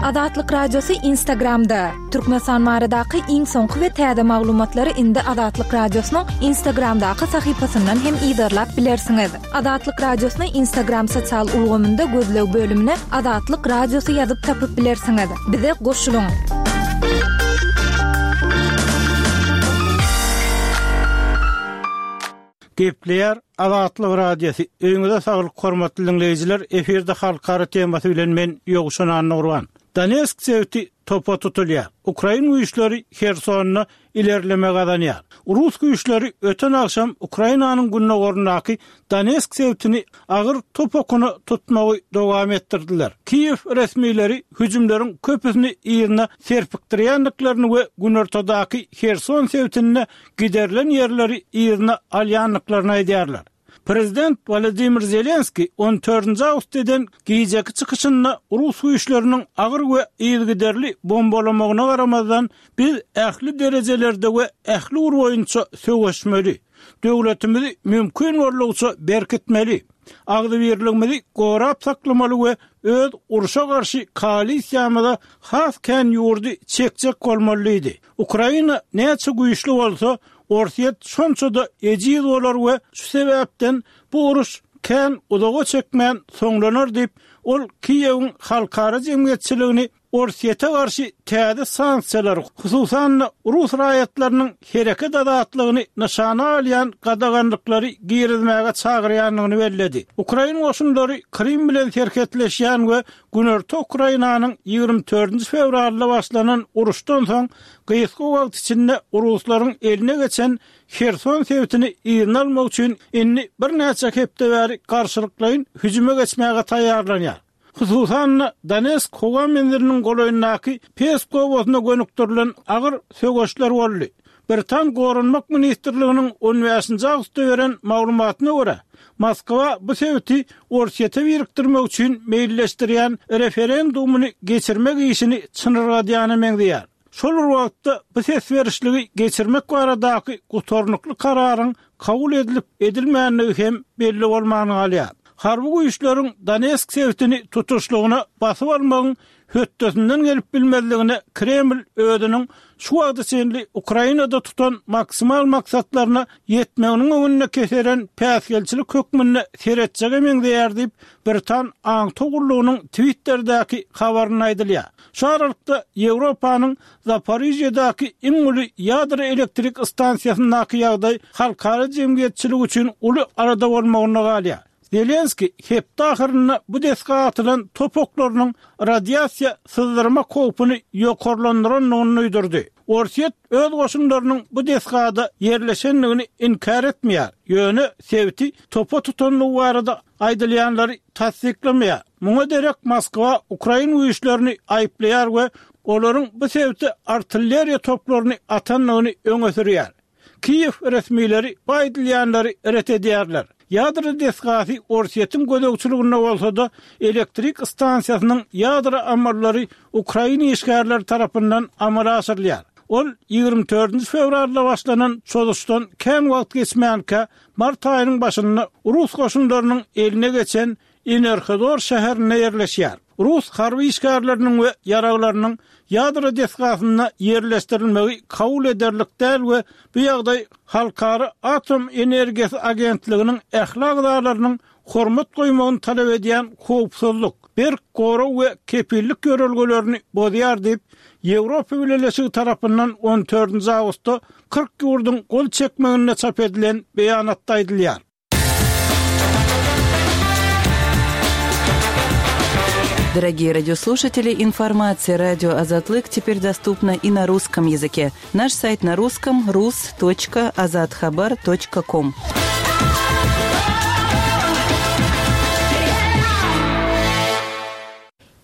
Azatlyk Radiosy Instagramda! Türkmenistan baradaky iň soňky we täze maglumatlary indi Azatlyk Radiosynyň Instagramdaky sahypasyndan hem yzarlap bilersiňiz. Azatlyk Radiosyny Instagram sosial ulgamynda gözleg bölümine Azatlyk Radiosy ýazyp tapyp bilersiňiz. Bize goşulyň! Gepleýär Azatlyk Radiosy, Öýüňize saglyk hormatly diňleýjiler, efirde halkara temasy bilen men Ýowşan Annagurban. Donetsk sebiti topa tutulýar. Ukrain güýçleri Hersonda ilerleme gazanýar. Rus güýçleri öten agşam Ukrainanyň gündogaryndaky Donetsk sebitini agyr top okuna tutmagy dowam etdirdiler. Kiýew resmileri hüjümleriň köpüsini yzyna serpikdirýändiklerini we günortadaky Herson sebitinde giderilen ýerleri yzyna alýandyklaryny aýdýarlar. Prezident Wolodymyr Zelenskiý on dördünji awgustda eden gijeki çykyşynda rus güýçleriniň agyr we yzygiderli bombalamagyna garamazdan, biz ähli derejelerde we ähli ugur boýunça söweşmeli, döwletimizi mümkin boldugyça berkitmeli, agzybirligimizi gorap saklamaly we öz urşa garşy koalisiýamyza has kän ýurdy çekjek bolmaly diýdi. Ukraina näçe güýçli bolsa, Orsýet şonça-da ejiz bolar we şu sebäpden bu uruş kän uzaga çekmän soňlanar diýip, ol Kiýewiň halkara jemgyýetçiligini Orsýete garşy täze sanksiýalar, hususan-da rus raýatlarynyň hereket azatlygyny nyşana alýan gadaganlyklary girizmäge çagyrýandygyny belledi. Ukrain goşunlary Krym bilen serhetleşýän we Günorta Ukrainanyň 24 fewralda başlanan uruşdan soň gysga wagt içinde ruslaryň eline geçen Herson sebitini yzyna almak üçin indi birnäçe hepde bäri garşylyklaýyn hüjüme geçmäge taýýarlanýar. Hususan-da, Donetsk howa menziliniň golaýyndaky Pesk obasyna gönükdirilen agyr söweşler boldy. Britan Goranmak ministrliginiň on bäşinji awgustda beren maglumatyna görä, Moskwa bu sebiti Orsýete birikdirmek üçin meýilleşdirýän referendumyny geçirmek işini çynyrgadýana meňzeýär. Şol bir wagtda, bu ses berişligi geçirmek baradaky gutarnykly kararyň kabul edilip-edilmändigi hem belli bolman galýar. Harby güýçleriň Donetsk sebitini tutuşlygyna basyp almagyň hötdesinden gelip bilmezligine Kreml özüniň şu wagta çenli Ukrainada tutan maksimal maksatlaryna ýetmeginiň öňünde keseren päsgelçilik hökmünde seretjege meňzeýär diýip, britan aňtaw gullugynyň Twitterdäki habarynda aýdylýar. Şu aralykda, Ýewropanyň Zaporižýadaky iň uly ýadro elektrik stansiýasyndaky ýagdaý halkara jemgyýetçiligi üçin uly alada bolmagynda galýar. Zelenskiý hepde ahyrynda bu desga atylan top oklarynyň radiasiýa syzdyrmak howpuny ýokarlandyrandygyny duýdurdy. Orsýet öz goşunlarynyň bu desgada ýerleşendigini inkär etmeýär, ýöne sebiti topa tutandygy barada aýdylýanlary tassyklamaýar. Muňa derek Moskwa ukrain güýçlerini aýyplaýar we olaryň bu sebite artilleriýa toplaryny atandygyny öňe sürýär. Kiýew resmileri bu aýdylýanlary ret edýärler. Ýadro desgasy Orsýetiň gözegçiliginde bolsa-da, elektrik stansiýasynyň ýadro amallary ukrain işgärleri tarapyndan amala aşyrylýar. Ol 24 fewralda başlanan çozuşdan kän wagt geçmänkä, mart aýynyň başynda rus goşunlarynyň eline geçen Enerhodor şäherinde ýerleşýär. Rus harby işgärleriniň we ýaraglarynyň ýadro desgasynda ýerleşdirilmegi kabul ederlik däl we bu ýagdaý Halkara atom energiýasy agentliginiň ähli agzalarynyň hormat goýmagyny talap edýän howpsuzlyk, berk gorag we kepillik ýörelgelerini bozýar diýip, Ýewropa Bileleşigi tarapyndan on dördünji awgustda 40 ýurduň gol çekmeginde çap edilen beýanatda aýdylýar. Дорогие радиослушатели, информация радио Азатлык теперь доступна и на русском языке. Наш сайт на русском rus.azathabar.com.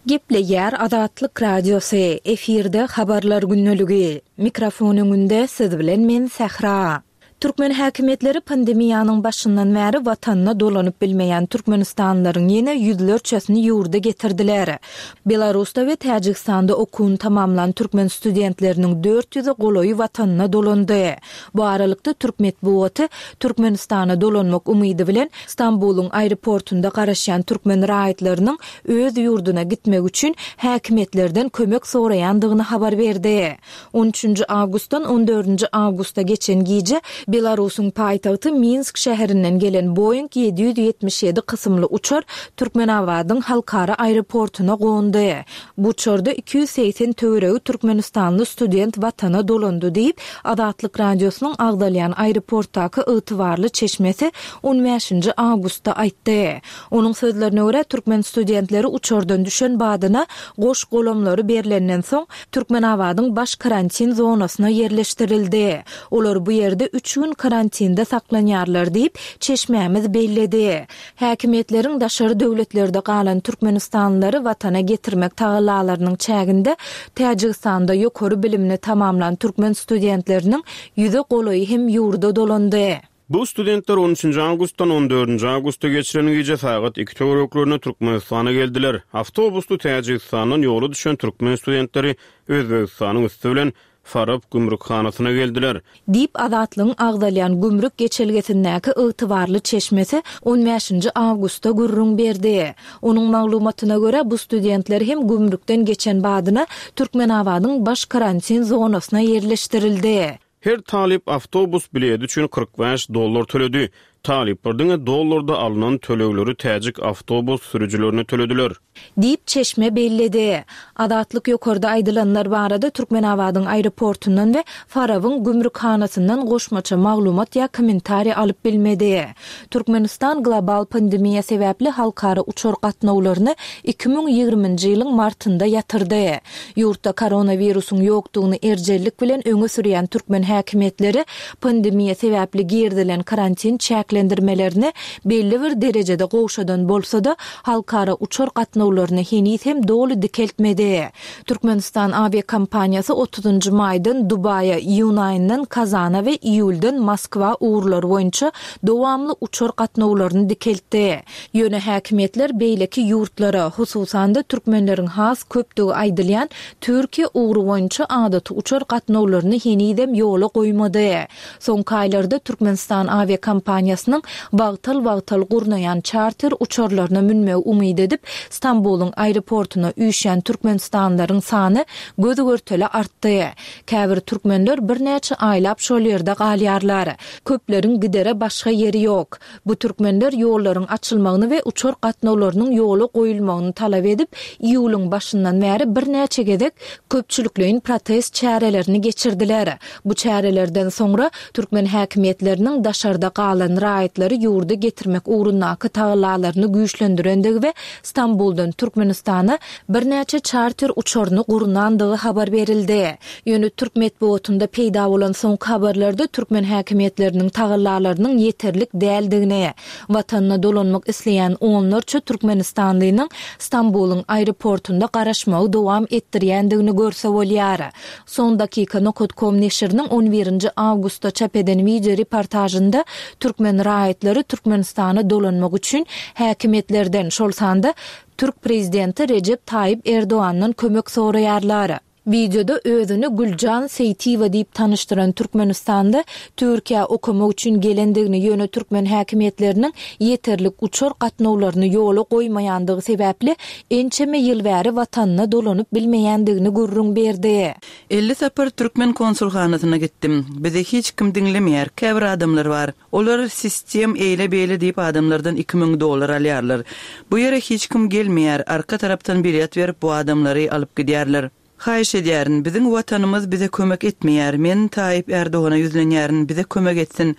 Gepleýär Azatlyk Radiosy, efirde Habarlar gündeligi. Mikrofon öňünde siz bilen men Sähra. Türkmen häkimiýetleri pandemiýanyň başyndan bäri watanyna dolanyp bilmeýän türkmenistanlylaryň ýene ýüzlerçesini ýurda getirdiler. Belarusda we Täjigistanda okuwyny tamamlan türkmen studentleriniň dört ýüze golaýy watanyna dolandy. Bu aralykda türk metbugaty Türkmenistana dolanmak umydy bilen Stambulyň aeroportunda garaşýan türkmen raýatlarynyň öz ýurduna gitmek üçin häkimiýetlerden kömek soraýandygyny habar berdi. On üçünji awgustdan on dördünji awgusta geçen gije Belarusyň paýtagty Minsk şäherinden gelen Boeing 777 kysymly uçar Türkmenabadyň halkara aeroportuna gondy. Bu uçarda 280 töweregi türkmenistanly student watana dolandy diýip, Azatlyk Radiosynyň agzalýan aeroportdaky ygtybarly çeşmesi on bäşinji awgustda aýtdy. Onuň sözlerine görä, türkmen studentleri uçardan düşen badyna goş-golamlary berlenden soň, Türkmenabadyň baş karantin zonasyna ýerleşdirildi. Olar bu ýerde üç gün karantinde saklanýarlar diýip, çeşmämiz belledi. Häkimiýetleriň daşary döwletlerde galan türkmenistanlylary watana getirmek tagallalarynyň çäginde Täjigistanda ýokary bilimini tamamlan türkmen studentleriniň ýüze golaýy hem ýurda dolandy. Bu studentler on üçünji awgustdan on dördünji awgusta geçiren gije sagat iki töwereklerinde Türkmenistana geldiler. Awtobusly Täjigistandan ýola düşen türkmen studentleri Özbegistanyň üsti bilen Farap gümrükhanasyna geldiler. Diýip, Azatlygyň agzalýan gümrük geçelgesindäki ygtybarly çeşmesi on bäşinji awgustda gürrüň berdi. Onuň maglumatyna görä, bu studentler hem gümrükden geçen badyna Türkmenabadyň baş karantin zonasyna ýerleşdirildi. Her talyp awtobus biledi üçin 45 dollar töledi. Talyplar diňe dollarda alnan tölegleri täjik awtobus sürüjilerine tölediler. Diýip, çeşme belledi. Azatlyk ýokarda aýdylanlar barada Türkmenabadyň aeroportundan we Farabyň gümrükhanasyndan goşmaça maglumat ýa kommentariý alyp bilmedi. Türkmenistan global pandemiýa sebäpli halkara uçar gatnawlaryny 2020-nji ýylyň martynda ýatyrdy. Ýurtda koronawirusyň ýokdugyny erjellik bilen öňe sürýän türkmen häkimiýetleri pandemiýa sebäpli girizilen karantin çäklendirmelerini belli bir derejede gowşadan bolsa-da, halkara uçar gatnawlaryny heniz hem doly dikeltmedi. Türkmenistan awiakompaniýasy otuzynjy maýdan Dubaýa, iýun aýyndan Kazana we iýuldan Moskwa ugurlary boýunça dowamly uçar gatnawlaryny dikeltdi. Ýöne häkimiýetler beýleki ýurtlara, hususan-da türkmenleriň has köpdügi aýdylýan Türkiýe ugry boýunça adaty uçar gatnawlaryny henizem ýola goýmady. Soňky aýlarda Türkmenistan awiakompaniýasynyň wagtal-wagtal gurnaýan çarter uçarlaryna münmegi umyt edip, Stambulyň aeroportuna üýşýän türkmenistanlylaryň sany göz-görtele artdy. Käbir türkmenler birnäçe aýlap şol ýerde galýarlar. Köpleriň gidere başga ýeri ýok. Bu türkmenler ýollaryň açylmagyny we uçar gatnawlarynyň ýola goýulmagyny talap edip, iýulyň başyndan bäri birnäçe gezek köpçülikleýin protest çärelerini geçirdiler. Bu çärelerden soňra, türkmen häkimiýetleriniň daşarda galan raýatlary ýurda getirmek ugrundaky tagallalaryny güýçlendirendigi we Stambuldan Türkmenistana birnäçe çarter uçaryny gurnandygy habar berildi. Ýöne türk metbugatynda peýda bolan soňky habarlarda türkmen häkimiýetleriniň tagallalarynyň ýeterlik däldigini, watanyna dolanmak isleýän onlarça türkmenistanlynyň Stambulyň aeroportunda garaşmagy dowam etdirýändigini görse bolýar. Son dakika nokat kom neşiriniň on birinji awgustda çap eden wideo reportažynda türkmen raýatlary Türkmenistana dolanmak üçin häkimiýetlerden, şol sanda türk prezidenti Rejep Taýyp Erdogandan kömek soraýarlar. Wideoda özüni Güljan Seýtiýewa diýip tanyşdyran türkmenistanly Türkiýä okamak üçin gelendigini, ýöne türkmen häkimiýetleriniň ýeterlik uçar gatnawlaryny ýola goýmaýandygy sebäpli ençeme ýyl bäri watanyna dolanyp bilmeýändigini gürrüň berdi. 50 sapar türkmen konsulhanasyna gitdim. Bizi hiç kim diňlemeýär. Käbir adamlar bar. Olar sistem eýle-beýle diýip adamlardan 2000 dollar alýarlar. Bu ýere hiç kim gelmeýär. Arka tarapdan bilet berip bu adamlary alyp gidýärler. Haýyş edýärin, biziň Watanymyz bize kömek etmeýär. Men Taýyp Ärdogana ýüzlenýärin, bize kömek etsin.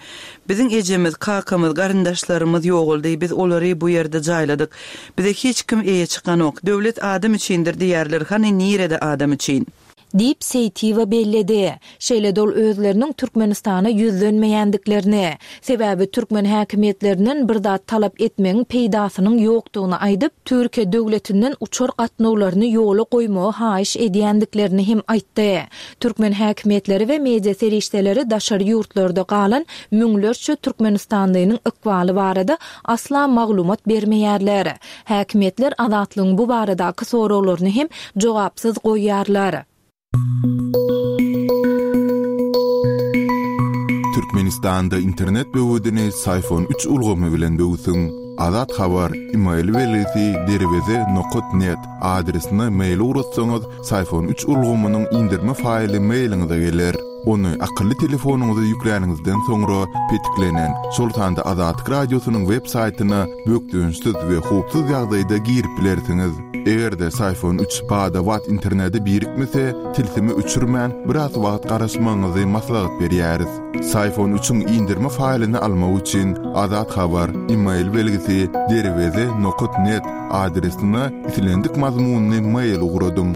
Biziň ejemiz, kakamyz, garyndaşlarymyz ýogaldy, biz olary bu ýerde jaýladyk. Bize hiç kim eýe çykanok. Döwlet adam üçindir diýýärler, hany nirede adam üçin? Diýip, Seýtiýewa belledi. Şeýle-de ol özleriniň Türkmenistana ýüzlenmeýändiklerini, sebäbi türkmen häkimiýetlerinden bir zat talap etmegiň peýdasynyň ýokdugyny aýdyp, Türkiýe döwletinden uçar gatnawlaryny ýola goýmagy haýyş edýändiklerini hem aýtdy. Türkmen häkimiýetleri we media serişdeleri daşary ýurtlarda galan müňlerçe türkmenistanlynyň ykbaly barada asla maglumat bermeýärler. Häkimiýetler Azatlygyň bu baradaky soraglaryny hem jogapsyz goýýarlar. Türkmenistanda internet böwedini Syfon üç ulgamy bilen böwsüň. Azat Habar, email belgisi derweze nokat net adresine mail ugratsaňyz, Syfon üç ulgamynyň indirme faýly mailiňize geler. Ony akylly telefonyňyza ýükläniňizden soňra petiklenen, şol sanda Azatlyk Radiosynyň web saýtyna bökdençsiz we howpsuz ýagdaýda girip bilersiňiz. Eger-de Syfon üç bada-bat internete birikmese, tilsimi öçürmän, biraz wagt garaşmagyňyzy maslahat berýäris. Syfon üçiň indirme faýlyny almak üçin Azat Habar, email belgisi derweze nokat net adresine islendik mazmunly mail ugradyň.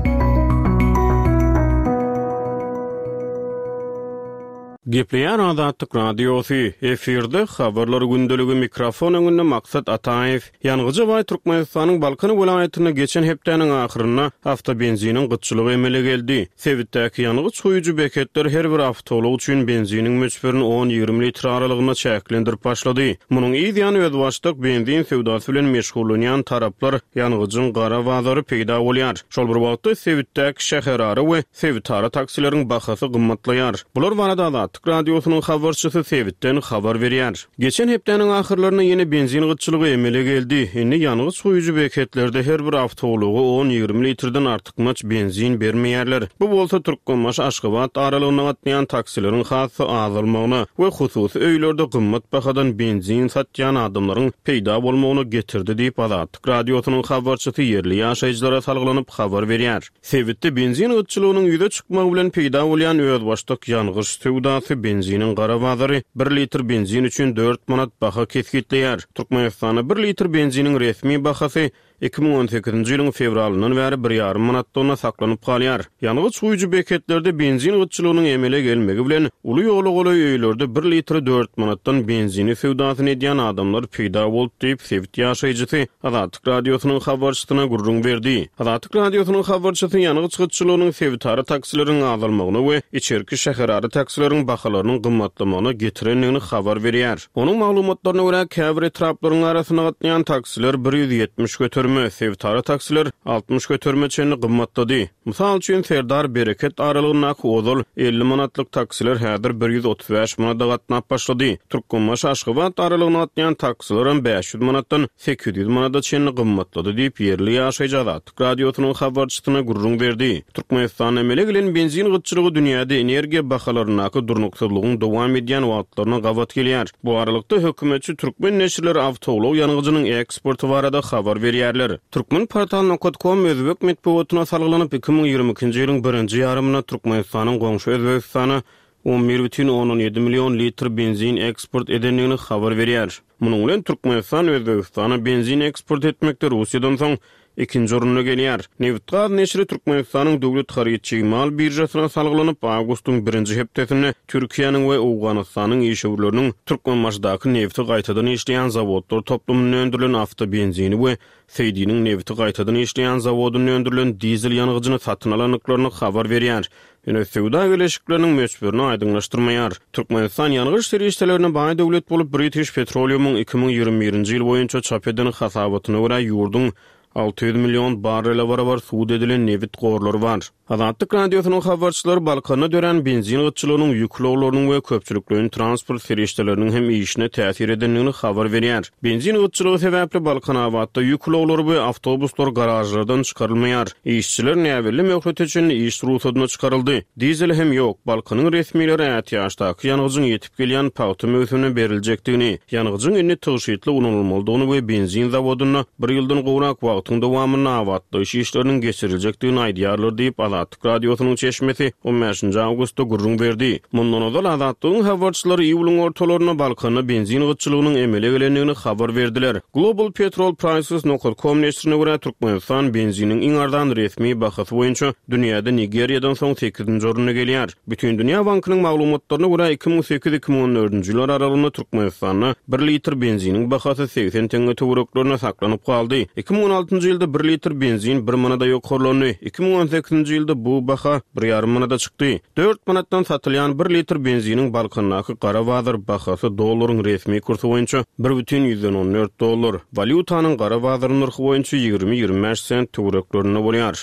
Gepleýär Azatlyk Radiosy, efirde Habarlar gündeligi, mikrofon öňünde Maksat Ataýew. Ýangyja baý Türkmenistanyň Balkan welaýatynda geçen hepdäniň ahyrynda awtobenziniň gytçylygy emele geldi. Sebitdäki ýangyç guýujy beketler her bir awtoulag üçin benziniň möçberini on-ýigrimi litr aralygynda çäklendirip başlady. Munuň yz ýany özbaşdak benzin söwdasy bilen meşgullanýan taraplar ýangyjyň gara bazary peýda bolýar. Şol bir wagtda, sebitdäki şäherara we sebitara taksileriň bahasy gymmatlaýar. Bular barada Azatlyk Radiosynyň habarçysy sebitden habar berýär. Geçen hepdäniň ahyrlarynda ýene benzin gytçylygy emele geldi. Indi ýangyç guýujy beketlerde her bir awtoulaga on-ýigrimi litrden artykmaç benzin bermeýärler. Bu bolsa Türkmenbaşy-Aşgabat aralygynda gatnaýan taksileriň has-da azalmagyna we hususy öýlerde gymmat bahadan benzin satýan adamlaryň peýda bolmagyna getirdi diýip, Azatlyk Radiosynyň habarçysy ýerli ýaşaýjylara salgylanyp habar berýär. Sebitde benzin gytçylygynyň ýüze çykmagy bilen peýda bolýan özbaşdak ýangyç söwdasy benziniň gara bazary bir litr benzin üçin dört manat baha kesgitleýär. Türkmenistanda bir litr benziniň resmi bahasy 2018-nji ýylyň fewralyndan bäri bir ýarym manatlygyna saklanyp galýar. Ýangyç guýujy beketlerde benzin gytçylygynyň emele gelmegi bilen, uly ýola golaý öýlerde bir litre dört manatdan benzini söwdasyny edýän adamlar peýda boldy diýip, sebit ýaşaýjysy Azatlyk Radiosynyň habarçysyna gürrüň berdi. Azatlyk Radiosynyň habarçysy ýangyç gytçylygynyň sebitara taksileriň azalmagyna we içerki şäherara taksileriň bahalarynyň gymmatlamagyna getirendigini habar berýär. Onuň maglumatlaryna görä, käbir etraplaryň arasynda gatnaýan taksiler 170 göterime, sebitara taksiler 60 göterime çenli gymmatlady. Mysal üçin, Serdar, Bereket aralygyndaky ozal 50 manatlyk taksiler häzir 135 manada gatnap başlady. Türkmenbaşy, Aşgabat aralygynda gatnaýan taksilerem 500 manatdan 800 manada çenli gymmatlady diýip, ýerli ýaşaýjy Azatlyk Radiosynyň habarçysyna gürrüň berdi. Türkmenistanda emele gelen benzin gytçylygy dünýäde energiýa bahalaryndaky durnuksyzlygyň dowam edýän wagtlaryna gabat gelýär. Bu aralykda, hökümetçi türkmen neşirleri awtoulag ýangyjynyň eksporty barada habar berýärler. Turkmenportal nokat kom özbek metbugatyna salgylanyp, 2022-nji ýylyň birinji ýarymynda Türkmenistanyň goňşy Özbegistana 11,7 million litr benzin eksport edendigini habar berýär. Munuň bilen Türkmenistan Özbegistana benzin eksport etmekde Russiýadan soň ikinji orunda gelýär. Nebitgaz neşiri Türkmenistanyň döwlet haryt-çig mal biržasyna salgylanyp, awgustyň birinji hepdesinde Türkiýäniň we Owganystanyň işewürleriniň Türkmenbaşydaky nebti gaýtadan işleýän zawodlar toplumynda öndürilen awtobenzini we Seýdiniň nebiti gaýtadan işleýän zawodynda öndürilen dizel ýangyjyny satyn alandyklaryny habar berýär. Ýöne söwda geleşikleriniň möçberini aýdyňlaşdyrmaýar. Türkmenistan ýangyç serişdelerine baý döwlet bolup, British Petroleum-yň 2021-nji ýyl boýunça çap eden hasabatyna görä, ýurduň 600 million barrele barabar sud edilen nebit gorlary bar. Azatlyk Radiosynyň habarçylary Balkanda dörän benzin gytçylygynyň ýük ulaglarynyň we köpçülikleýin transport serişdeleriniň hem işine täsir edendigini habar berýär. Benzin gytçylygy sebäpli Balkanabatda ýük ulaglary we awtobuslar garažlardan çykarylmaýar. Işçiler näbelli möhlete çenli iş rugsadyna çykaryldy. Dizel hem ýok. Balkanyň resmileri ätiýaçdaky ýangyjyň ýetip gelýän pagta möwsümine beriljekdigini, ýangyjyň indi tygşytly ulanylmalydygyny we benzin zawodynda bir ýyldan gowrak wagt. wagtyň dowamynda abatlaýyş işleriniň geçiriljekdigini aýdýarlar diýip, Azatlyk Radiosynyň çeşmesi on bäşinji awgustda gürrüň berdi. Mundan ozal, Azatlygyň habarçylary iýulyň ortalarynda Balkanda benzin gytçylygynyň emele gelendigini habar berdiler. Global Petrol Prices nokat com neşirine görä, Türkmenistan benziniň iň arzan resmi bahasy boýunça dünýäde Nigeriýadan soň sekizinji orunda gelýär. Bütindünýä bankynyň maglumatlaryna görä, 2008, 2014-nji ýyllar aralygynda Türkmenistanda bir litr benziniň bahasy 80 teňňe töwereklerinde saklanyp galdy. 2016-njy ýylda bir litr benzin bir manada ýokarlandy. 2018-nji ýylda bu baha bir ýarym manada çykdy. Dört manatdan satylýan bir litr benziniň Balkandaky gara bazar bahasy dollaryň resmi kursy boýunça bir bütin ýüzden on dört dollar, walýutanyň gara bazar nyrhy boýunça ýigrimi, 25 sent töwereklerinde bolýar.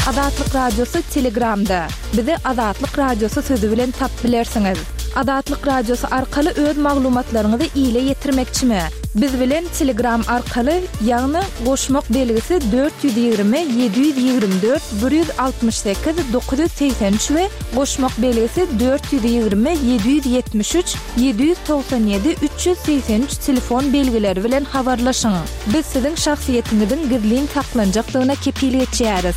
Azatlyk Radiosy Telegramda. Bizi Azatlyk Radiosy sözi bilen tap bilersiňiz. Azatlyk Radiosy arkaly öz maglumatlaryňyzy ile ýetirmekçimi? Biz bilen Telegram arkaly, ýagny goşmak belgisi 420 724 168 983 we goşmak belgisi 420 773 797 383 telefon belgileri bilen habarlaşyň. Biz siziň şahsyýetiňiziň gizlin saklanjakdygyna kepil geçýäris.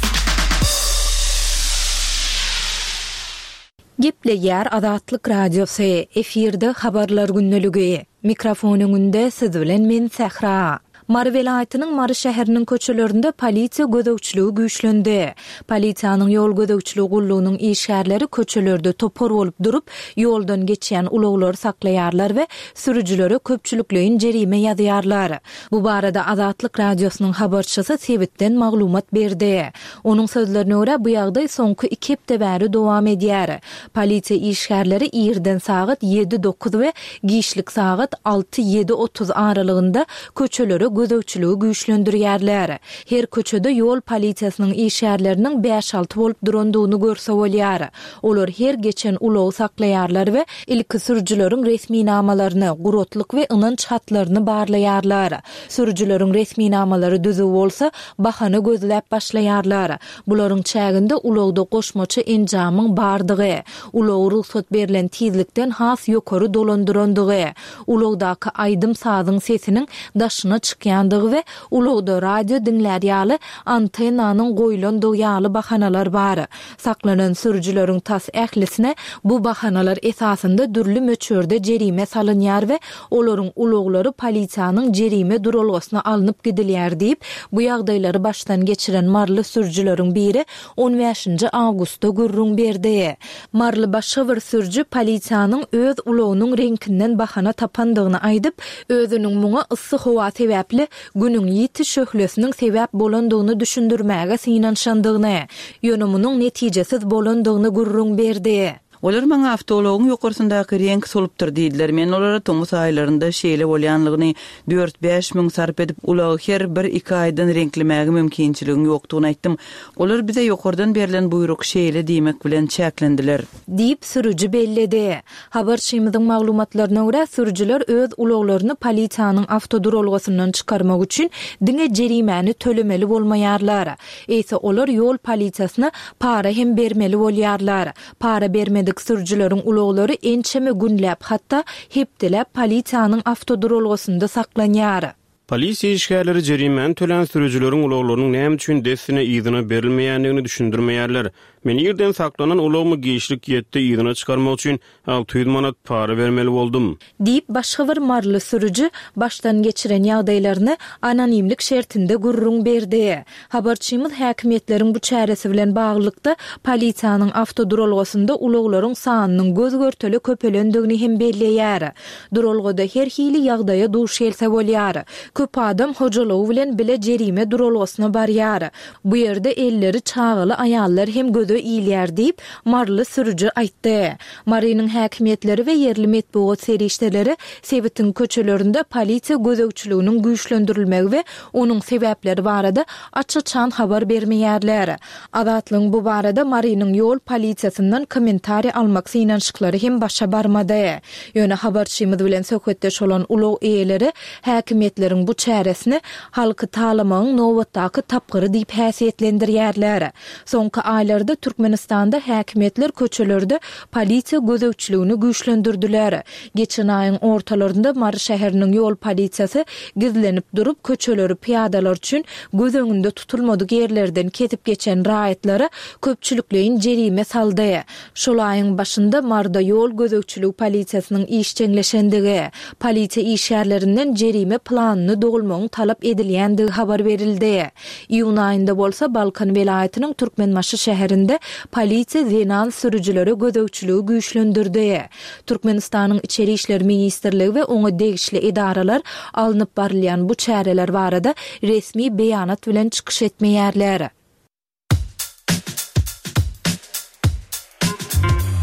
Gepleýär Azatlyk Radiosy, efirde Habarlar gündeligi. Mikrofon öňünde siz bilen men Sähra. Mary welaýatynyň Mary şäheriniň köçelerinde polisiýa gözegçiligi güýçlendi. Polisiýanyň ýol gözegçiligi gullugynyň işgärleri köçelerde topar bolup durup, ýoldan geçýän ulaglary saklaýarlar we sürüjilere köpçülikleýin jerime ýazýarlar. Bu barada Azatlyk Radiosynyň habarçysy sebitden maglumat berdi. Onuň sözlerine görä, bu ýagdaý soňky iki hepde bäri dowam edýär. Polisiýa işgärleri irden sagat ýedi-dokuz we giçlik sagat alty-ýedi-otuz aralygynda köçelere gözegçiligi güýçlendirýärler. Her köçede ýol polisiýasynyň işgärleriniň bäş-alty bolup durandygyny görse bolýar. Olar her geçen ulagy saklaýarlar we ilki sürüjileriň resminamalaryny, guratlyk we ynanç hatlaryny barlaýarlar. Sürüjileriň resminamalary düzüw bolsa, bahana gözläp başlaýarlar. Bularyň çäginde ulagda goşmaça enjamyň bardygy, ulagy rugsat berlen tizlikden has ýokary dolandyrandygy, ulagdaky aýdym-sazyň sesiniň daşyna çykýandygy we ulagda radio diňlär ýaly antennanyň goýlandygy ýaly bahanalar bar. Saklanan sürüjileriň tas ählisine bu bahanalar esasynda dürli möçberde jerime salynýar we olaryň ulaglary polisiýanyň jerime duralgasyna alnyp gidilýär diýip, bu ýagdaýlary başdan geçiren maryly sürüjileriň biri on bäşinji awgustda gürrüň berdi. Maryly başga bir sürüji polisiýanyň öz ulagynyň reňkinden bahana tapandygyny aýdyp, özüniň muňa yssy howa sebäpli Günüň ýiti şöhlesiniň sebäp bolandygyny düşündirmäge synanyşandygyny, ýöne munuň netijesiz bolandygyny gürrüň berdi. Olar maňa awtoulagyň ýokarsyndaky reňk solupdyr diýdiler. Men olara tomus aýlarynda şeýle bolýanlygyny, dört-bäş müň sarp edip, ulagy her bir-iki aýdan reňklemäge mümkinçiligiň ýokdugyny aýtdym. Olar bize ýokardan berlen buýruk şeýle diýmek bilen çäklendiler. Diýip, sürüji belledi. Habarçymyzyň maglumatlaryna görä, sürüjiler öz ulaglaryny polisiýanyň awtoduralgasyndan çykarmak üçin diňe jerimäni tölemeli bolmaýarlar. Eýse olar ýol polisiýasyna para hem bermeli bolýarlar. Para bermedik sürüjileriň ulaglary ençeme günläp, hatda hepdeläp polisiýanyň awtoduralgasynda saklanýar. Polisiýa işgärleri jerimäni tölän sürüjileriň ulaglarynyň näme üçin dessine yzyna berilmeýändigini düşündirmeýärler. Men irden saklanan ulagymy giçlik ýetde yzyna çykarmak üçin 600 manat para bermeli boldum. Diýip, başga bir maryly sürüji başdan geçiren ýagdaýlaryny anonimlik şertinde gürrüň berdi. Habarçymyz häkimiýetleriň bu çäresi bilen baglylykda, polisiýanyň awtoduralgasynda ulaglaryň sanynyň göz-görtele köpelendigini hem belleýär. Duralgada her hili ýagdaýa duş gelse bolýar. Köp adam hojalygy bilen bile jerime duralgasyna barýar. Bu ýerde elleri çagaly aýallar hem göze ilýär diýip, maryly sürüji aýtdy. Marynyň häkimiýetleri we ýerli metbugat serişdeleri sebitiň köçelerinde polisiýa gözegçiliginiň güýçlendirilmegi we onuň sebäpleri barada aç-açan habar bermeýärler. Azatlygyň bu barada Marynyň ýol polisiýasyndan kommentariý almak synanyşyklary hem başa barmady. Ýöne habarçymyz bilen söhbetdeş bolan ulag eýeleri häkimiýetleriň bu çäresini halky talamagyň nobatdaky tapgyry diýip häsiýetlendirýärler. Soňky aýlarda. Türkmenistanda häkimiýetler köçelerde polisiýa gözegçiligini güýçlendirdiler. Geçen aýyň ortalarynda Mary şäheriniň ýol polisiýasy gizlenip durup, köçeleri pyýadalar üçin göz öňünde tutulmadyk ýerlerden kesip geçen raýatlara köpçülikleýin jerime saldy. Şol aýyň başynda Maryda ýol gözegçiligi polisiýasynyň işjeňleşendigi, polisiýa işgärlerinden jerime planyny dolmagyň talap edilýändigi habar berildi. Iýun aýynda bolsa Balkan welaýatynyň Türkmenbaşy şäherinde polisiýa zenan sürüjilere gözegçiligi güýçlendirdi. Türkmenistanyň Içeri işler ministrligi we oňa degişli edaralar alnyp barylýan bu çäreler barada resmi beýanat bilen çykyş etmeýärler.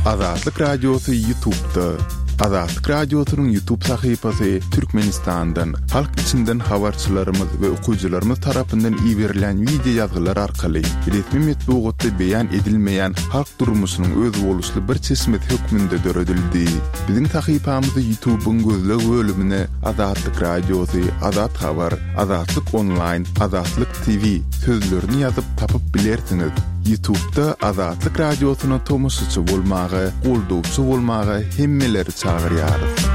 Azatlyk Radiosy Ýutubda. Azatlyk Radiosynyň Ýutub sahypasy Türkmenistandan, halk içinden habarçylarymyz we okyjylarymyz tarapyndan iberilýän wideo ýazgylar arkaly resmi metbugatda beýan edilmeýän halk durmuşynyň özboluşly bir çeşmesi hökmünde döredildi. Biziň sahypamyzy Ýutubyň gözleg bölümine Azatlyk Radiosy, Azat Habar, Azatlyk Onlaýn, Azatlyk TV sözlerini ýazyp tapyp bilersiňiz. Ýutubda Azatlyk Radiosyna tomaşaçy bolmaga, goldawçy bolmaga hemmeleri çagyrýarys.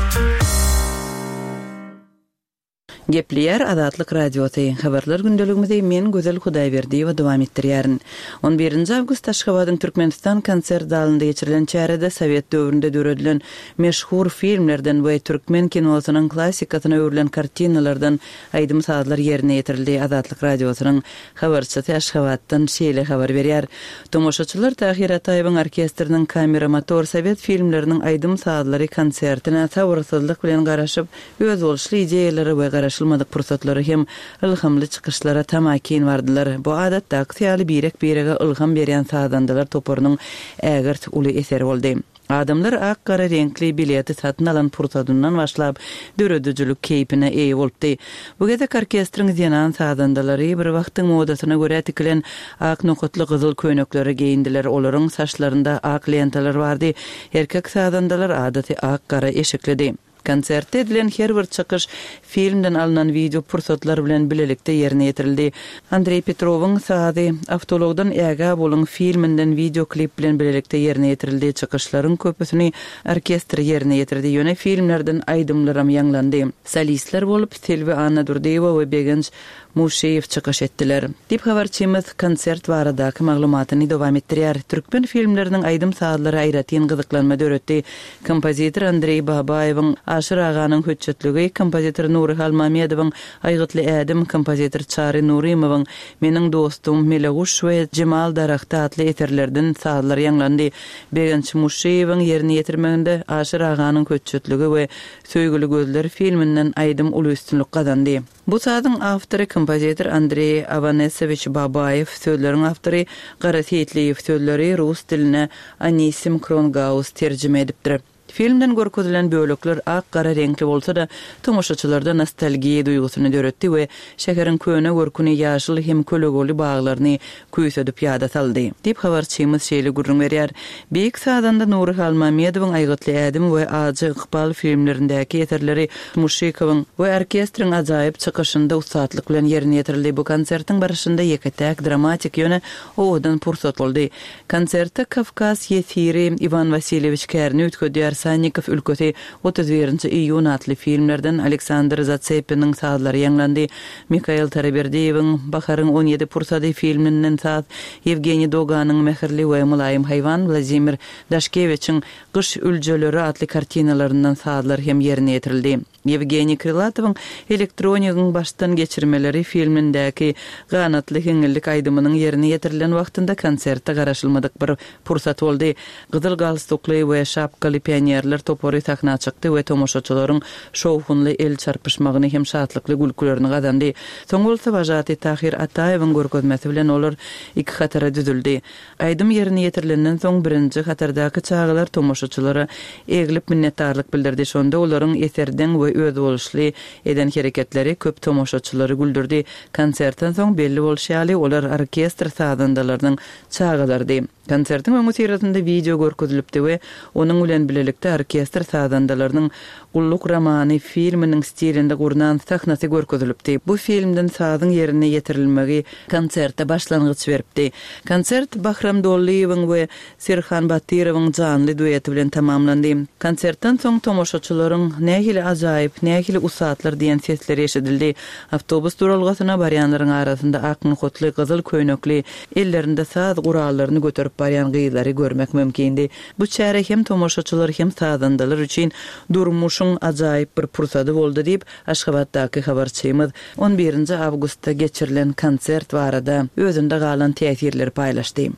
Gepleýär Azatlyk Radiosy, Habarlar gündeligimizi men Gözel Hudaýberdiýewa dowam etdirýärin. On birinji awgust Aşgabadyň Türkmenistan konsert zalynda geçirilen çärede sowet döwründe döredilen meşhur filmlerden we türkmen kinosynyň klassikasyna öwrülen kartinalardan Aýdym-sazlar ýerine ýetirildi. Azatlyk Radiosynyň habarçysy Aşgabatdan şeýle habar berýär, Tomaşaçylar Tahyr Ataýewiň orkestriniň Kamera motor sowet filmleriniň aýdym-sazlary konsertine sabyrsyzlyk bilen garaşyp, özboluşly ideýalara we garaşylmadyk pursatlara hem ylhamly çykyşlara tamakin bardylar. Bu adatdakysy ýaly birek-birege ylham berýän sazandalar toparynyň ägirt uly eseri boldy. Adamlar ak-gara reňkli bileti satyn alan pursadyndan başlap döredijilik keýpine eýe bolupdy. Bu gezek orkestriň zenan sazandalary bir wagtyň modasyna görä tikilen ak nokatly gyzyl köýnekleri geýindiler, olaryň saçlarynda ak lentalar bardy, erkek sazandalar adaty ak-gara eşiklidi. Konsertde edilen her bir çykyş filmden alnan wideo pursatlar bilen bilelikde ýerine ýetirildi. Andreý Petrowyň sazy Awtoulagdan ägä boluň filminden wideo klip bilen bilelikde ýerine ýetirildi. Çykyşlaryň köpüsini orkestr ýerine ýetirdi, ýöne filmlerden aýdymlaram ýaňlandy. Solistler bolup Selbi Annadurdyýewa we Begenç Muşşyýew çykyş etdiler. Diýip, habarçymyz konsert baradaky maglumatyny dowam etdirýär. Türkmen filmleriniň aýdym-sazlary aýratyn gyzyklanma döretdi. Kompozitor Andreý Babaýewiň Aşyr aganyň hötjetligi, kompozitor Nury Halmamedowyň Aýgytly ädim, kompozitor Çary Nurymowyň Meniň dostum, Meleguş we Jemal daragty atly eserlerden sazlar ýaňlandy. Begenç Muşşyýewiň ýerine ýetirmeginde Aşyr aganyň hötjetligi we Söýgüli gözler filminden aýdym uly üstünlik gazandy. Bu sazyň awtory kompozitor Andreý Awanesowiç Babaýew, sözleriň awtory Gara Seýitliýew, sözleri rus diline Anisim Krongaus terjime edipdir. Filmden görkezilen bölekler ak-gara reňkli bolsa-da, tomaşaçylarda nostalgiýa duýgusyny döretdi we şäheriň köne görküni, ýaşyl hem kölegeli baglaryny küýsedip ýada saldy. Diýip, habarçymyz şeýle gürrüň berýär. Beýik sazanda Nury Halmamedowyň Aýgytly ädim we Ajy ykbal filmlerindäki eserleri Muşşikowyň we orkestriň ajaýyp çykyşynda ussatlyk bilen ýerine ýetirildi. Bu konsertiň barşynda ýeke-täk dramatik, ýöne owadan pursat boldy. Konsertde Kawkaz ýesiri, Iwan Wasilýewiç kärini üýtgedýär, Sannikow ülkesi, 31 iýun atly filmlerden Aleksandr Zatsepiniň sazlary ýaňlandy. Mikail Taraberdiýewiň Baharyň on ýedi pursady filminden saz, Ýewgeniý Doganyň Mähirli we mylaýym haýwan, Wladimir Daşkewiçiň Gyş üljeleri atly kartinalaryndan sazlar hem ýerine ýetirildi. Ýewgeniý Krylatowyň Elektronigiň başdan geçirmeleri filmindäki Ganatly hiňňildik aýdymynyň ýerine ýetirilen wagtynda konsertde garaşylmadyk bir pursat boldy. Gyzyl galstukly we şapkaly pionerler topary sahna çykdy we tomaşaçylaryň şowhunly el çarpyşmagyny hem şatlykly gülkülerini gazandy. Soň bolsa wažatyý Tahyr Ataýewiň görkezmesi bilen olar iki hatara düzüldi. Aýdym ýerine ýetirilenden soň birinji hatardaky çagalar tomaşaçylara eglip minnetdarlyk bildirdi. Şonda olaryň eserdeň we özboluşly eden hereketleri köp tomaşaçylary güldürdi. Konsertden soň belli bolşy ýaly, olar orkestr sazandalarynyň çagalarydy. Konsertiň öňüsyrasynda wideo görkezilipdi we onuň bilen bilelikde orkestr sazandalarynyň Gulluk romany filminiň stilinde gurnan sahnasy görkezilipdi. Bu filmden sazyň ýerine ýetirilmegi konserte başlangyç beripdi. Konsert Bahram Dollyýewiň we Serhan Batyrowyň janly dueti bilen tamamlandy. Konsertden soň tomaşaçylaryň, Nähili ajaýyp, nähili ussatlar diýen sesleri eşidildi. Awtobus duralgasyna barýanlaryň arasynda ak nohutly, gyzyl köýnekli, ellerinde saz gurallaryny göterip barýan gyzlary görmek mümkindi. Bu çäre hem tomaşaçylar, hem sazandalar üçin durmuşyň ajaýyp bir pursady boldy diýip, Aşgabatdaky habarçymyz on birinji awgustda geçirilen konsert barada özünde galan täsirleri paýlaşdy.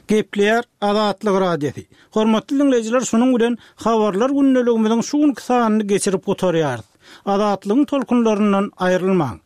Gepleýär Azatlyk Radiosy. Hormatly diňleýjiler şunuň bilen Habarlar gündeligimiziň şu günki sanyny geçirip gutarýarys. Azatlygyň tolkunlaryndan aýrylmaň.